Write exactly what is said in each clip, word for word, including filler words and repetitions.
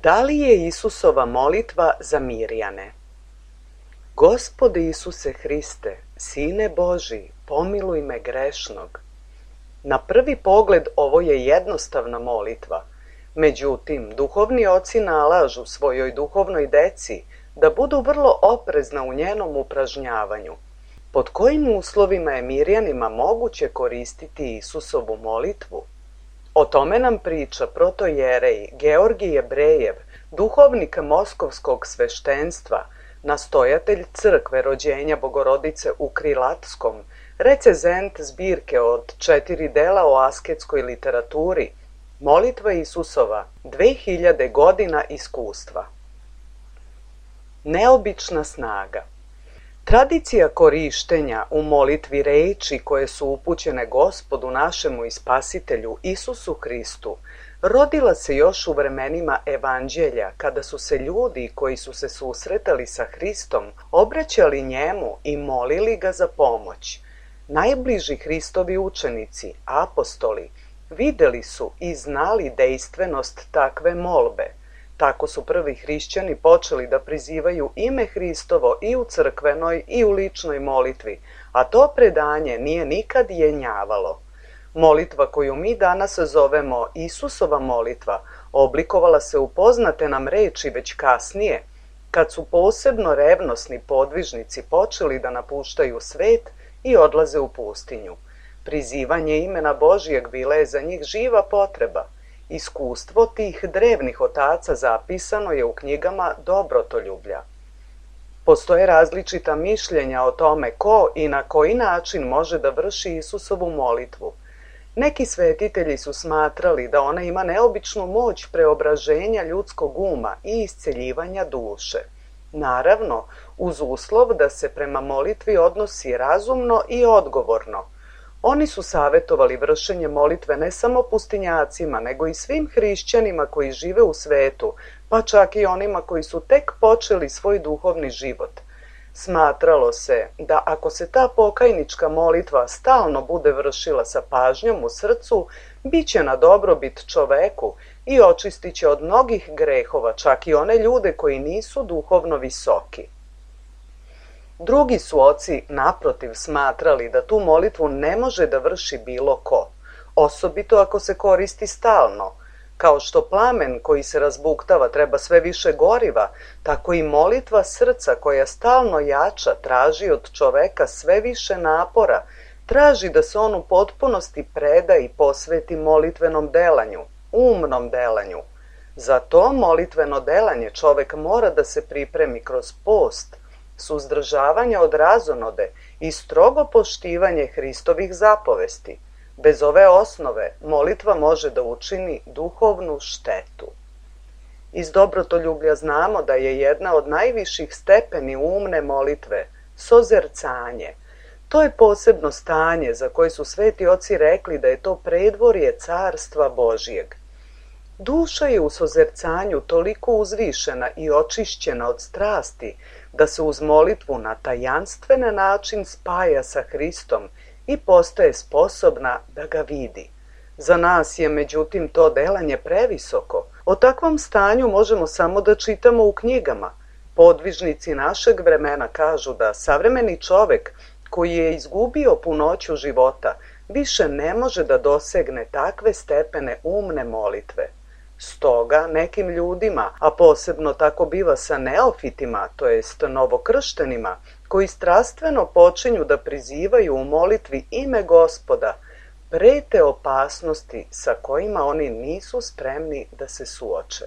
Da li je Isusova molitva za Mirjane? Gospode Isuse Hriste, Sine Božji, pomiluj me grešnog. Na prvi pogled ovo je jednostavna molitva, međutim, duhovni oci nalažu svojoj duhovnoj deci da budu vrlo oprezna u njenom upražnjavanju. Pod kojim uslovima je Mirjanima moguće koristiti Isusovu molitvu? O tome nam priča protojerej Georgij Jebrejev, duhovnik moskovskog sveštenstva, nastojatelj crkve rođenja Bogorodice u Krilatskom, recezent zbirke od četiri dela o asketskoj literaturi, Molitva Isusova, dve hiljade godina iskustva. Neobična snaga. Tradicija korištenja u molitvi reči koje su upućene Gospodu našemu i Spasitelju Isusu Hristu rodila se još u vremenima Evanđelja, kada su se ljudi koji su se susretali sa Hristom obraćali njemu i molili ga za pomoć. Najbliži Hristovi učenici, apostoli, videli su i znali dejstvenost takve molbe. Tako su prvi hrišćani počeli da prizivaju ime Hristovo i u crkvenoj i u ličnoj molitvi, a to predanje nije nikad jenjavalo. Molitva koju mi danas zovemo Isusova molitva oblikovala se u poznate nam reči već kasnije, kad su posebno revnosni podvižnici počeli da napuštaju svet i odlaze u pustinju. Prizivanje imena Božijeg bila je za njih živa potreba. Iskustvo tih drevnih otaca zapisano je u knjigama Dobrotoljublja. Postoje različita mišljenja o tome ko i na koji način može da vrši Isusovu molitvu. Neki svetitelji su smatrali da ona ima neobičnu moć preobraženja ljudskog uma i isceljivanja duše. Naravno, uz uslov da se prema molitvi odnosi razumno i odgovorno. Oni su savjetovali vršenje molitve ne samo pustinjacima, nego i svim hrišćanima koji žive u svetu, pa čak i onima koji su tek počeli svoj duhovni život. Smatralo se da ako se ta pokajnička molitva stalno bude vršila sa pažnjom u srcu, bit će na dobrobit čoveku i očistit će od mnogih grehova, čak i one ljude koji nisu duhovno visoki. Drugi su oci naprotiv smatrali da tu molitvu ne može da vrši bilo ko, osobito ako se koristi stalno. Kao što plamen koji se razbuktava treba sve više goriva, tako i molitva srca koja stalno jača traži od čoveka sve više napora, traži da se on u potpunosti preda i posveti molitvenom delanju, umnom delanju. Za to molitveno delanje čovek mora da se pripremi kroz post, suzdržavanje od razonode i strogo poštivanje Hristovih zapovesti. Bez ove osnove molitva može da učini duhovnu štetu. Iz Dobrotoljublja znamo da je jedna od najviših stepeni umne molitve sozercanje. To je posebno stanje za koje su sveti oci rekli da je to predvorje carstva Božijeg. Duša je u sozercanju toliko uzvišena i očišćena od strasti da se uz molitvu na tajanstven način spaja sa Hristom i postaje sposobna da ga vidi. Za nas je međutim to delanje previsoko. O takvom stanju možemo samo da čitamo u knjigama. Podvižnici našeg vremena kažu da savremeni čovek koji je izgubio punoću života više ne može da dosegne takve stepene umne molitve. Stoga nekim ljudima, a posebno tako biva sa neofitima, to jest novokrštenima, koji strastveno počinju da prizivaju u molitvi ime Gospoda, prete opasnosti sa kojima oni nisu spremni da se suoče.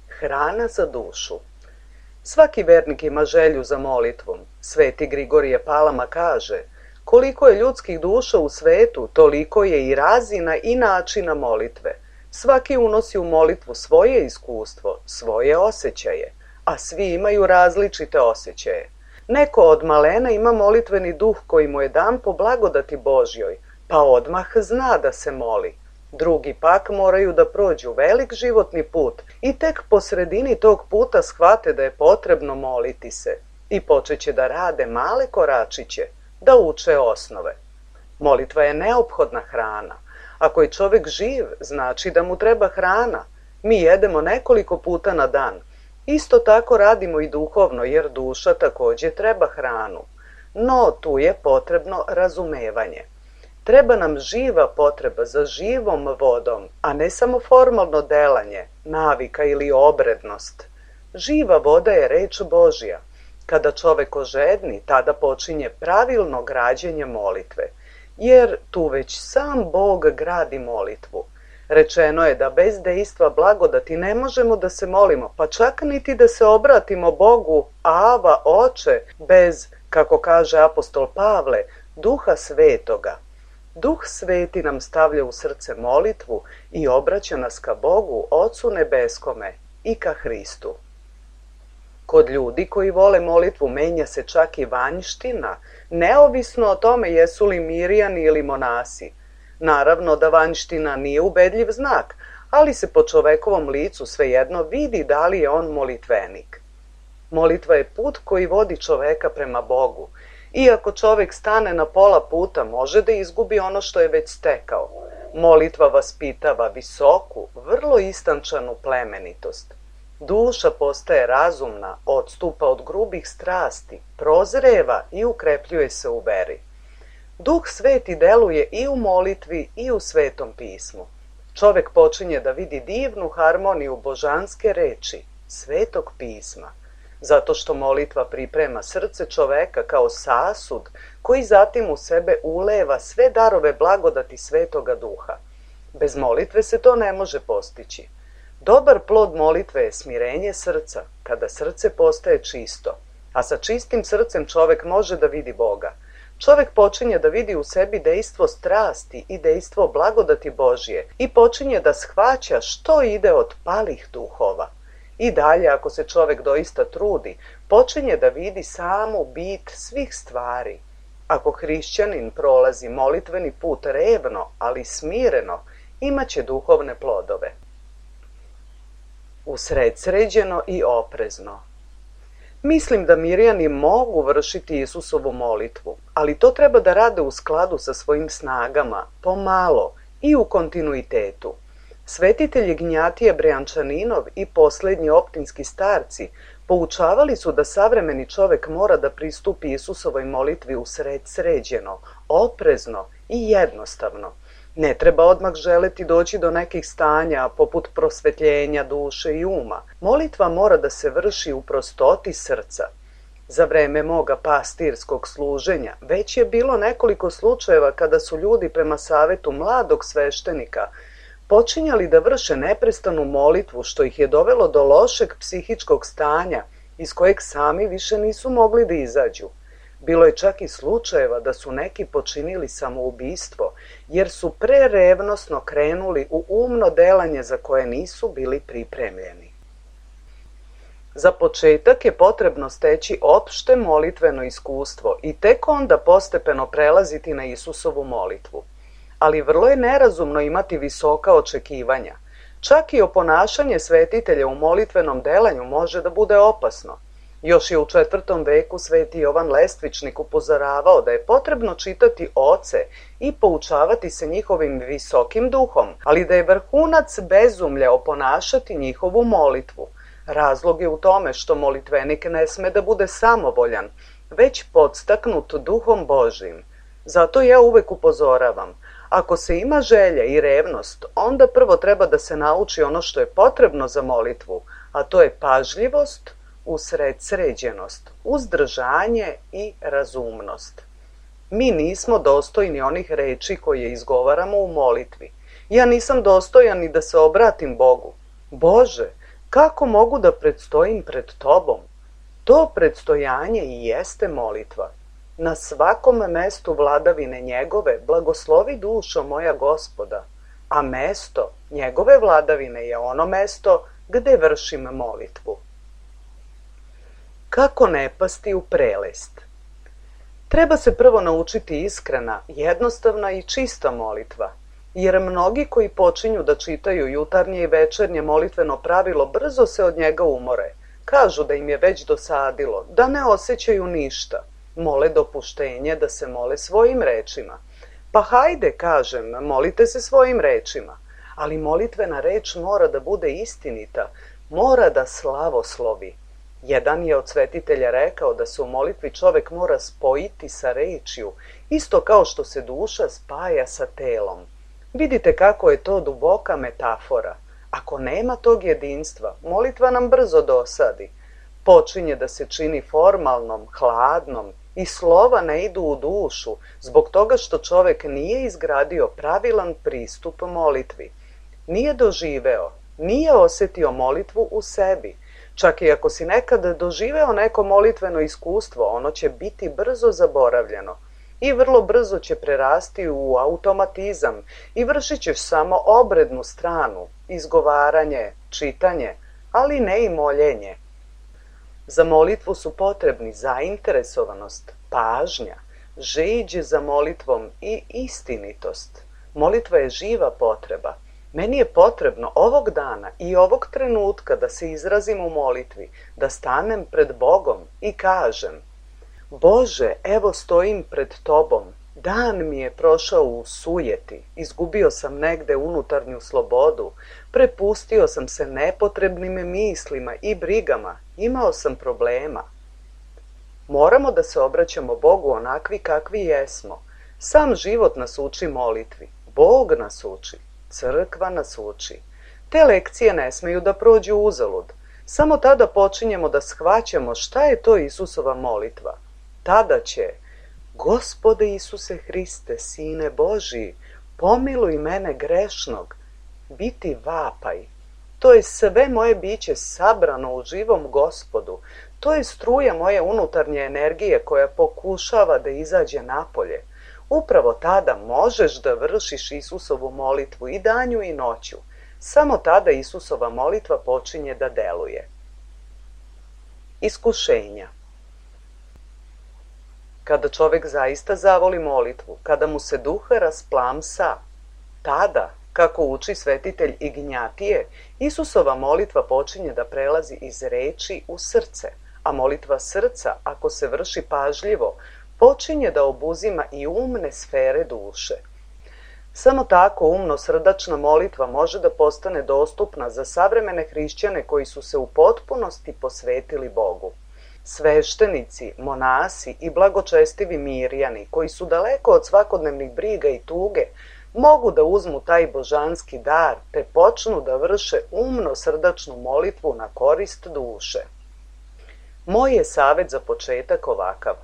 Hrana za dušu. Svaki vernik ima želju za molitvom. Sveti Grigorije Palama kaže: koliko je ljudskih duša u svetu, toliko je i razina i načina molitve. Svaki unosi u molitvu svoje iskustvo, svoje osjećaje, a svi imaju različite osjećaje. Neko od malena ima molitveni duh koji mu je dan po blagodati Božjoj, pa odmah zna da se moli. Drugi pak moraju da prođu velik životni put i tek po sredini tog puta shvate da je potrebno moliti se i počeće da rade male koračiće, da uče osnove. Molitva je neophodna hrana. Ako je čovek živ, znači da mu treba hrana. Mi jedemo nekoliko puta na dan. Isto tako radimo i duhovno, jer duša također treba hranu. No, tu je potrebno razumevanje. Treba nam živa potreba za živom vodom, a ne samo formalno delanje, navika ili obrednost. Živa voda je reč Božja. Kada čovek ožedni, tada počinje pravilno građenje molitve, jer tu već sam Bog gradi molitvu. Rečeno je da bez dejstva blagodati ne možemo da se molimo, pa čak niti da se obratimo Bogu, Ava, Oče, bez, kako kaže apostol Pavle, Duha Svetoga. Duh Sveti nam stavlja u srce molitvu i obraća nas ka Bogu, Ocu Nebeskome i ka Hristu. Kod ljudi koji vole molitvu menja se čak i vanjština, neovisno o tome jesu li Mirjani ili monasi. Naravno da vanjština nije ubedljiv znak, ali se po čovekovom licu svejedno vidi da li je on molitvenik. Molitva je put koji vodi čoveka prema Bogu. Iako čovek stane na pola puta, može da izgubi ono što je već stekao. Molitva vaspitava visoku, vrlo istančanu plemenitost. Duša postaje razumna, odstupa od grubih strasti, prozreva i ukrepljuje se u veri. Duh Sveti deluje i u molitvi i u Svetom pismu. Čovek počinje da vidi divnu harmoniju božanske reči, Svetog pisma, zato što molitva priprema srce čoveka kao sasud koji zatim u sebe uleva sve darove blagodati Svetoga Duha. Bez molitve se to ne može postići. Dobar plod molitve je smirenje srca, kada srce postaje čisto, a sa čistim srcem čovek može da vidi Boga. Čovek počinje da vidi u sebi dejstvo strasti i dejstvo blagodati Božje i počinje da shvaća što ide od palih duhova. I dalje, ako se čovek doista trudi, počinje da vidi samu bit svih stvari. Ako hrišćanin prolazi molitveni put revno, ali smireno, imaće duhovne plodove. Usredsređeno i oprezno. Mislim da Mirjani mogu vršiti Isusovu molitvu, ali to treba da rade u skladu sa svojim snagama, pomalo i u kontinuitetu. Svetitelji Gnjatije Brejančaninov i poslednji optinski starci poučavali su da savremeni čovek mora da pristupi Isusovoj molitvi usredsređeno, oprezno i jednostavno. Ne treba odmah želeti doći do nekih stanja poput prosvetljenja duše i uma. Molitva mora da se vrši u prostoti srca. Za vreme moga pastirskog služenja već je bilo nekoliko slučajeva kada su ljudi prema savetu mladog sveštenika počinjali da vrše neprestanu molitvu, što ih je dovelo do lošeg psihičkog stanja iz kojeg sami više nisu mogli da izađu. Bilo je čak i slučajeva da su neki počinili samoubistvo, jer su prerevnosno krenuli u umno delanje za koje nisu bili pripremljeni. Za početak je potrebno steći opšte molitveno iskustvo i tek onda postepeno prelaziti na Isusovu molitvu. Ali vrlo je nerazumno imati visoka očekivanja. Čak i oponašanje svetitelja u molitvenom delanju može da bude opasno. Još je u četvrtom veku sveti Jovan Lestvičnik upozoravao da je potrebno čitati oce i poučavati se njihovim visokim duhom, ali da je vrhunac bezumlja oponašati njihovu molitvu. Razlog je u tome što molitvenik ne sme da bude samovoljan, već podstaknut duhom Božjim. Zato ja uvek upozoravam, ako se ima želja i revnost, onda prvo treba da se nauči ono što je potrebno za molitvu, a to je pažljivost, usredsređenost, uzdržanje i razumnost. Mi nismo dostojni onih reči koje izgovaramo u molitvi. Ja nisam dostojan ni da se obratim Bogu. Bože, kako mogu da predstojim pred Tobom? To predstojanje i jeste molitva. Na svakom mestu vladavine njegove blagoslovi dušo moja Gospoda, a mesto njegove vladavine je ono mesto gde vršim molitvu. Kako ne pasti u prelest? Treba se prvo naučiti iskrena, jednostavna i čista molitva, jer mnogi koji počinju da čitaju jutarnje i večernje molitveno pravilo brzo se od njega umore. Kažu da im je već dosadilo, da ne osjećaju ništa. Mole dopuštenje da se mole svojim rečima. Pa hajde, kažem, molite se svojim rečima. ali molitvena reč mora da bude istinita, mora da slavoslovi. Jedan je od svetitelja rekao da se u molitvi čovek mora spojiti sa rečju, isto kao što se duša spaja sa telom. Vidite kako je to duboka metafora. Ako nema tog jedinstva, molitva nam brzo dosadi. Počinje da se čini formalnom, hladnom i slova ne idu u dušu zbog toga što čovek nije izgradio pravilan pristup molitvi. Nije doživeo, nije osetio molitvu u sebi. Čak i ako si nekad doživeo neko molitveno iskustvo, ono će biti brzo zaboravljeno i vrlo brzo će prerasti u automatizam i vršit ćeš samo obrednu stranu, izgovaranje, čitanje, ali ne i moljenje. Za molitvu su potrebni zainteresovanost, pažnja, žeđ za molitvom i istinitost. Molitva je živa potreba. Meni je potrebno ovog dana i ovog trenutka da se izrazim u molitvi, da stanem pred Bogom i kažem: Bože, evo stojim pred Tobom, dan mi je prošao u sujeti, izgubio sam negde unutarnju slobodu, prepustio sam se nepotrebnim mislima i brigama, imao sam problema. Moramo da se obraćamo Bogu onakvi kakvi jesmo. Sam život nas uči molitvi, Bog nas uči. Crkva nas uči. Te lekcije ne smeju da prođu uzalud. Samo tada počinjemo da shvaćamo šta je to Isusova molitva. Tada će: Gospode Isuse Hriste, Sine Božiji, pomiluj mene grešnog, biti vapaj. To je sve moje biće sabrano u živom Gospodu. To je struja moje unutarnje energije koja pokušava da izađe napolje. Upravo tada možeš da vršiš Isusovu molitvu i danju i noću. Samo tada Isusova molitva počinje da deluje. Iskušenja. Kada čovek zaista zavoli molitvu, kada mu se duh rasplamsa, tada, kako uči svetitelj Ignjatije, Isusova molitva počinje da prelazi iz reči u srce, a molitva srca, ako se vrši pažljivo, počinje da obuzima i umne sfere duše. Samo tako umno-srdačna molitva može da postane dostupna za savremene hrišćane koji su se u potpunosti posvetili Bogu. Sveštenici, monasi i blagočestivi mirjani, koji su daleko od svakodnevnih briga i tuge, mogu da uzmu taj božanski dar te počnu da vrše umno-srdačnu molitvu na korist duše. Moj je savjet za početak ovakav.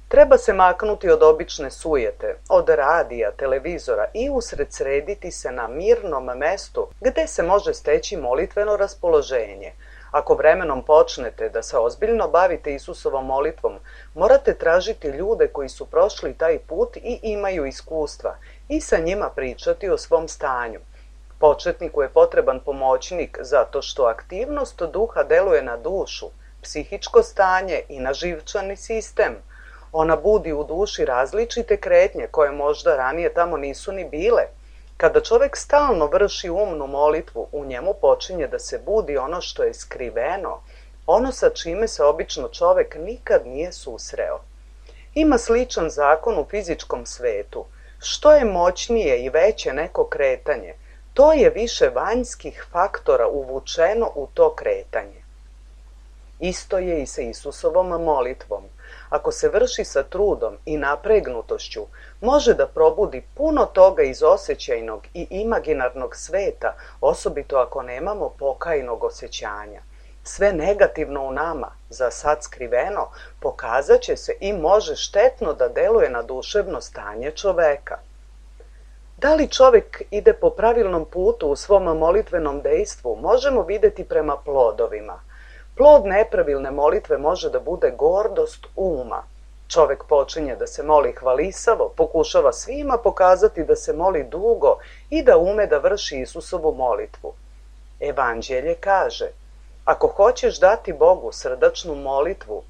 Treba se maknuti od obične sujete, od radija, televizora i usredsrediti se na mirnom mestu gde se može steći molitveno raspoloženje. Ako vremenom počnete da se ozbiljno bavite Isusovom molitvom, morate tražiti ljude koji su prošli taj put i imaju iskustva i sa njima pričati o svom stanju. Početniku je potreban pomoćnik zato što aktivnost duha deluje na dušu, psihičko stanje i na živčani sistem. Ona budi u duši različite kretnje koje možda ranije tamo nisu ni bile. Kada čovek stalno vrši umnu molitvu, u njemu počinje da se budi ono što je skriveno, ono sa čime se obično čovek nikad nije susreo. Ima sličan zakon u fizičkom svetu. Što je moćnije i veće neko kretanje, to je više vanjskih faktora uvučeno u to kretanje. Isto je i sa Isusovom molitvom. Ako se vrši sa trudom i napregnutošću, može da probudi puno toga iz osjećajnog i imaginarnog sveta, osobito ako nemamo pokajnog osjećanja. Sve negativno u nama, za sad skriveno, pokazat će se i može štetno da deluje na duševno stanje čoveka. Da li čovek ide po pravilnom putu u svom molitvenom dejstvu, možemo videti prema plodovima. Plod nepravilne molitve može da bude gordost uma. Čovek počinje da se moli hvalisavo, pokušava svima pokazati da se moli dugo i da ume da vrši Isusovu molitvu. Evanđelje kaže: ako hoćeš dati Bogu srdačnu molitvu,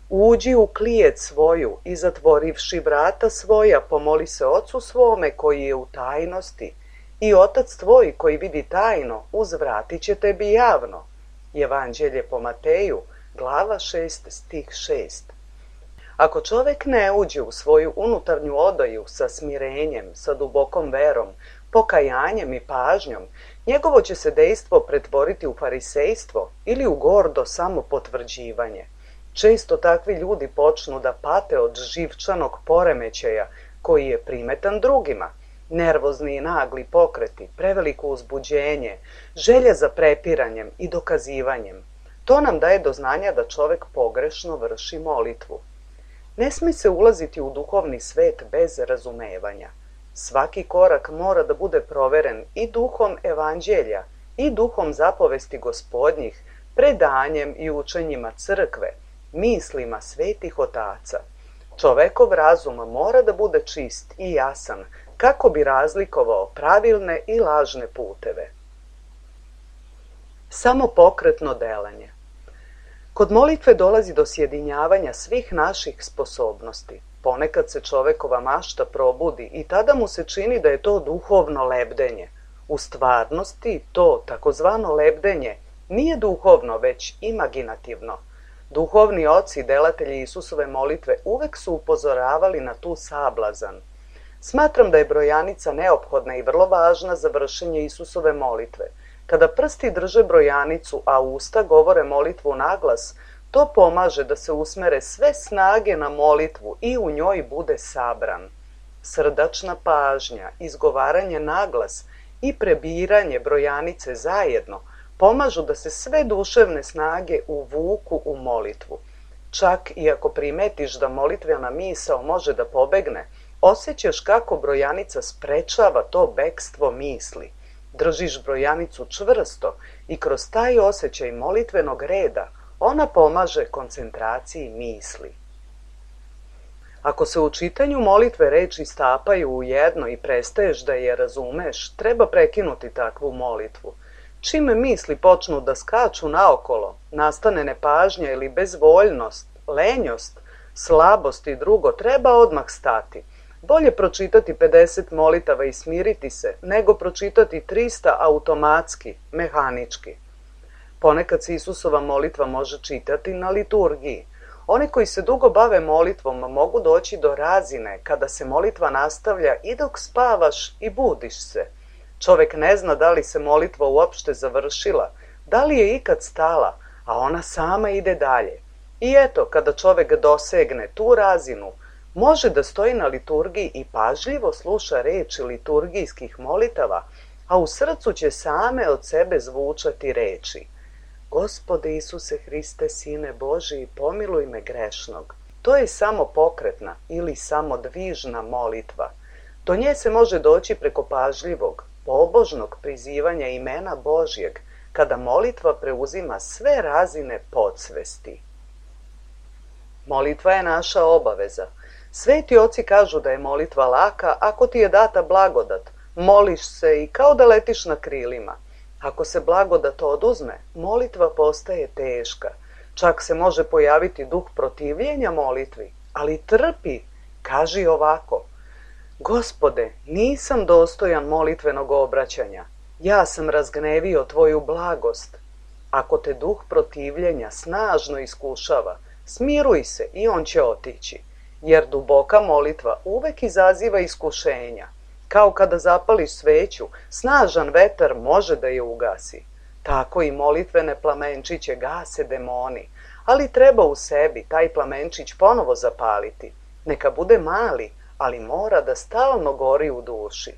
uđi u klijet svoju i zatvorivši vrata svoja, pomoli se Ocu svome koji je u tajnosti, i Otac tvoj koji vidi tajno uzvratit će tebi javno. Evanđelje po Mateju, glava šest, stih šest. Ako čovek ne uđe u svoju unutarnju odaju sa smirenjem, sa dubokom verom, pokajanjem i pažnjom, njegovo će se dejstvo pretvoriti u farisejstvo ili u gordo samopotvrđivanje. Često takvi ljudi počnu da pate od živčanog poremećaja koji je primetan drugima. Nervozni i nagli pokreti, preveliko uzbuđenje, želja za prepiranjem i dokazivanjem. To nam daje do znanja da čovek pogrešno vrši molitvu. Ne smije se ulaziti u duhovni svet bez razumevanja. Svaki korak mora da bude proveren i duhom evanđelja i duhom zapovesti gospodnjih, predanjem i učenjima crkve, mislima svetih otaca. Čovekov razum mora da bude čist i jasan kako bi razlikovao pravilne i lažne puteve. Samo pokretno delanje. Kod molitve dolazi do sjedinjavanja svih naših sposobnosti. Ponekad se čovekova mašta probudi i tada mu se čini da je to duhovno lebdenje. U stvarnosti to takozvano lebdenje nije duhovno, već imaginativno. Duhovni oci, delatelji Isusove molitve, uvek su upozoravali na tu sablazan. Smatram da je brojanica neophodna i vrlo važna za vršenje Isusove molitve. Kada prsti drže brojanicu, a usta govore molitvu naglas, to pomaže da se usmere sve snage na molitvu i u njoj bude sabran. Srdačna pažnja, izgovaranje naglas i prebiranje brojanice zajedno pomažu da se sve duševne snage uvuku u molitvu. Čak i ako primetiš da molitvena misao može da pobegne, osjećaš kako brojanica sprečava to bekstvo misli. Držiš brojanicu čvrsto i kroz taj osjećaj molitvenog reda ona pomaže koncentraciji misli. Ako se u čitanju molitve reči stapaju u jedno i prestaješ da je razumeš, treba prekinuti takvu molitvu. Čime misli počnu da skaču naokolo, nastane nepažnja ili bezvoljnost, lenjost, slabost i drugo, treba odmah stati. Bolje pročitati pedeset molitava i smiriti se, nego pročitati trista automatski, mehanički. Ponekad se Isusova molitva može čitati na liturgiji. Oni koji se dugo bave molitvom mogu doći do razine kada se molitva nastavlja i dok spavaš i budiš se. Čovek ne zna da li se molitva uopšte završila, da li je ikad stala, a ona sama ide dalje. I eto, kada čovek dosegne tu razinu, može da stoji na liturgiji i pažljivo sluša reči liturgijskih molitava, a u srcu će same od sebe zvučati reči: Gospode Isuse Hriste, Sine Božiji, pomiluj me grešnog. To je samo pokretna ili samo dvižna molitva. Do nje se može doći preko pažljivog, pobožnog prizivanja imena Božjeg, kada molitva preuzima sve razine podsvesti. Molitva je naša obaveza. Sveti oci kažu da je molitva laka ako ti je data blagodat. Moliš se i kao da letiš na krilima. Ako se blagodat oduzme, molitva postaje teška. Čak se može pojaviti duh protivljenja molitvi, ali trpi, kaži ovako: Gospode, nisam dostojan molitvenog obraćanja. Ja sam razgnevio tvoju blagost. Ako te duh protivljenja snažno iskušava, smiruj se i on će otići, jer duboka molitva uvek izaziva iskušenja. Kao kada zapališ sveću, snažan vetar može da je ugasi. Tako i molitvene plamenčiće gase demoni, ali treba u sebi taj plamenčić ponovo zapaliti. Neka bude mali, ali mora da stalno gori u duši.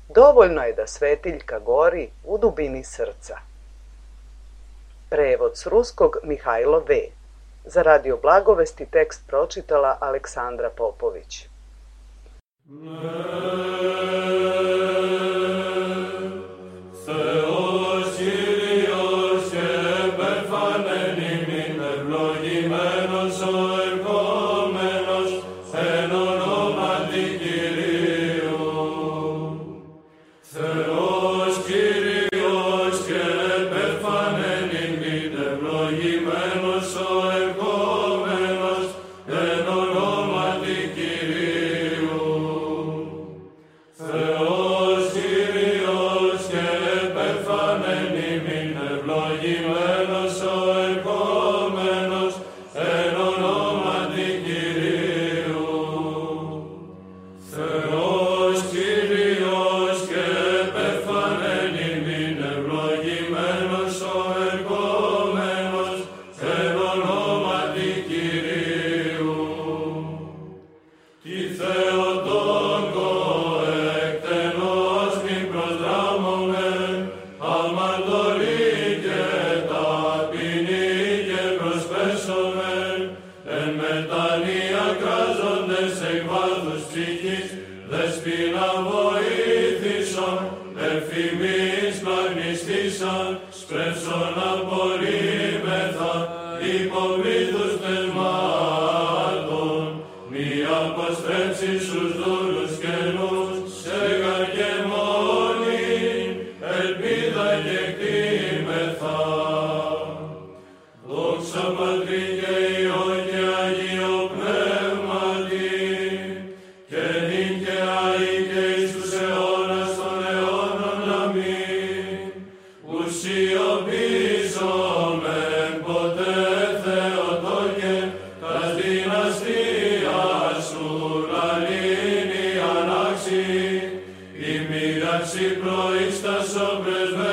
Dovoljno je da svetiljka gori u dubini srca. Prevod s ruskog Mihajlo V. Za Radio Blagovesti tekst pročitala Aleksandra Popović. Θεός έσον, ευθυμείς πλαγνιστήσαν, σπρέψον απορρίμεθα, υπομήθους θεσμάτων, μη αποστρέψεις τους δούλους καινούς, σε καρκεμόνη, ελπίδα και κτήμεθα. Δόξα Πατρί και Υιό και Αγίο Πνεύματι, και νυν και αεί και εις τους αιώνας των αιώνων. Αμήν. Ουσιοποιήσομεν ποτέ Θεοτόκε, τας δυναστείας σου λαλήνη ανάξι, η μοίραξη προείστασο πρεσβεύει,